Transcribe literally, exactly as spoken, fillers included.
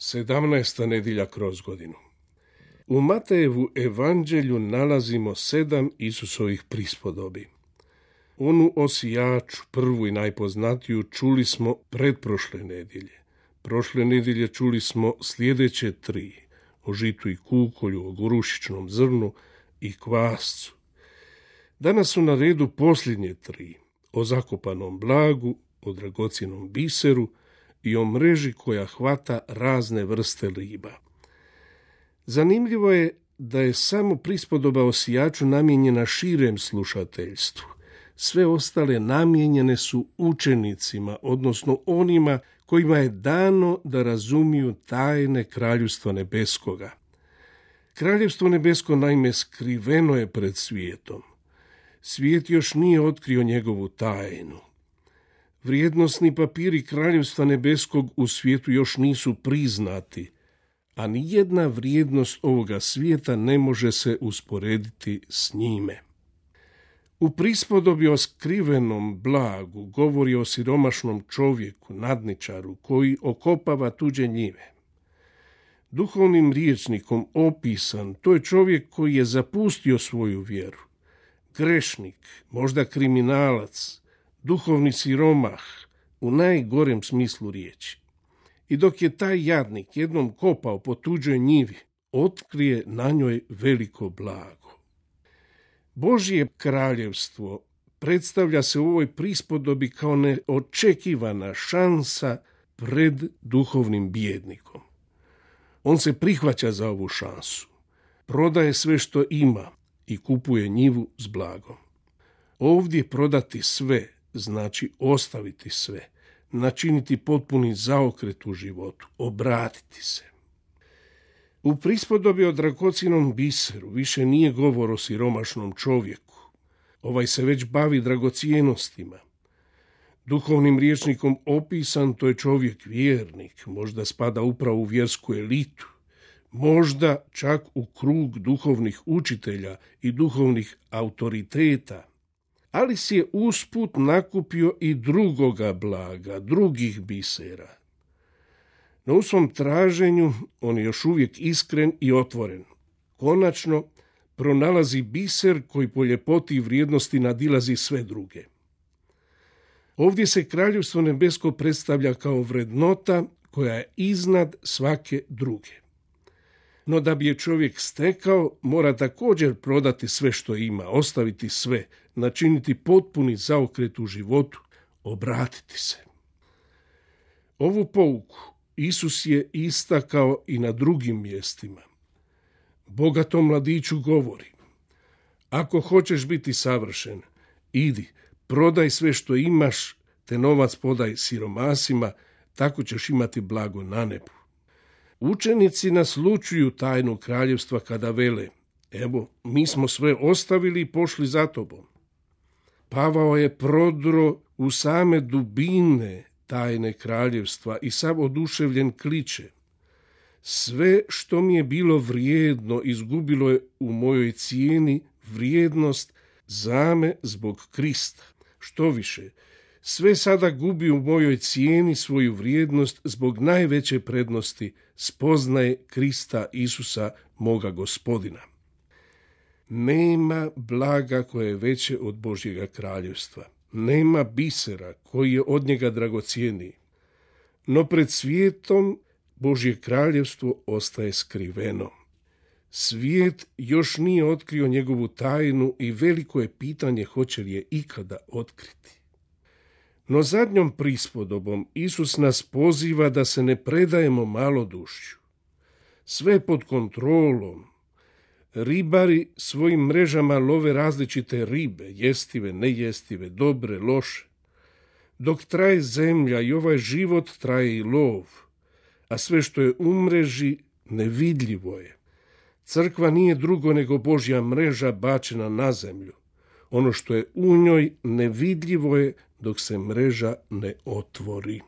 Sedamnaesta nedjelja kroz godinu. U Matejevu evanđelju nalazimo sedam Isusovih prispodobi. Onu o sijaču, prvu i najpoznatiju, čuli smo pretprošle nedjelje. Prošle nedjelje čuli smo sljedeće tri, o žitu i kukolju, o gorušičnom zrnu i kvascu. Danas su na redu posljednje tri, o zakopanom blagu, o dragocjenom biseru i o mreži koja hvata razne vrste riba. Zanimljivo je da je samo prispodoba o sijaču namijenjena širem slušateljstvu. Sve ostale namijenjene su učenicima, odnosno onima kojima je dano da razumiju tajne Kraljevstva nebeskoga. Kraljevstvo nebesko naime skriveno je pred svijetom. Svijet još nije otkrio njegovu tajnu. Vrijednosni papiri Kraljevstva nebeskog u svijetu još nisu priznati, a ni jedna vrijednost ovoga svijeta ne može se usporediti s njime. U prispodobi o skrivenom blagu govori o siromašnom čovjeku, nadničaru, koji okopava tuđe njive. Duhovnim rječnikom opisan, to je čovjek koji je zapustio svoju vjeru. Grešnik, možda kriminalac, duhovni siromah, u najgorem smislu riječi. I dok je taj jadnik jednom kopao po tuđoj njivi, otkrije na njoj veliko blago. Božje kraljevstvo predstavlja se u ovoj prispodobi kao neočekivana šansa pred duhovnim bijednikom. On se prihvaća za ovu šansu, prodaje sve što ima i kupuje njivu s blagom. Ovdje prodati sve znači ostaviti sve, načiniti potpuni zaokret u životu, obratiti se. U prispodobi o dragocjenom biseru više nije govor o siromašnom čovjeku. Ovaj se već bavi dragocjenostima. Duhovnim rječnikom opisan, to je čovjek vjernik, možda spada upravo u vjersku elitu, možda čak u krug duhovnih učitelja i duhovnih autoriteta, ali si je usput nakupio i drugoga blaga, drugih bisera. No u svom traženju on je još uvijek iskren i otvoren. Konačno pronalazi biser koji po ljepoti i vrijednosti nadilazi sve druge. Ovdje se Kraljevstvo nebesko predstavlja kao vrednota koja je iznad svake druge. No da bi je čovjek stekao, mora također prodati sve što ima, ostaviti sve, načiniti potpuni zaokret u životu, obratiti se. Ovu pouku Isus je istakao i na drugim mjestima. Bogatom mladiću govori: ako hoćeš biti savršen, idi, prodaj sve što imaš, te novac podaj siromasima, tako ćeš imati blago na nebu. Učenici naslučuju tajnu kraljevstva kada vele: evo, mi smo sve ostavili i pošli za tobom. Pavao je prodro u same dubine tajne kraljevstva i sav oduševljen kliče: sve što mi je bilo vrijedno izgubilo je u mojoj cijeni vrijednost zame zbog Krista. Što više, sve sada gubi u mojoj cijeni svoju vrijednost zbog najveće prednosti, spoznaje Krista Isusa, moga Gospodina. Nema blaga koje je veće od Božjega kraljevstva. Nema bisera koji je od njega dragocjeniji. No pred svijetom Božje kraljevstvo ostaje skriveno. Svijet još nije otkrio njegovu tajnu i veliko je pitanje hoće li je ikada otkriti. No zadnjom prispodobom Isus nas poziva da se ne predajemo malodušju. Sve pod kontrolom. Ribari svojim mrežama love različite ribe, jestive, nejestive, dobre, loše. Dok traje zemlja i ovaj život, traje i lov, a sve što je u mreži nevidljivo je. Crkva nije drugo nego Božja mreža bačena na zemlju. Ono što je u njoj nevidljivo je dok se mreža ne otvori.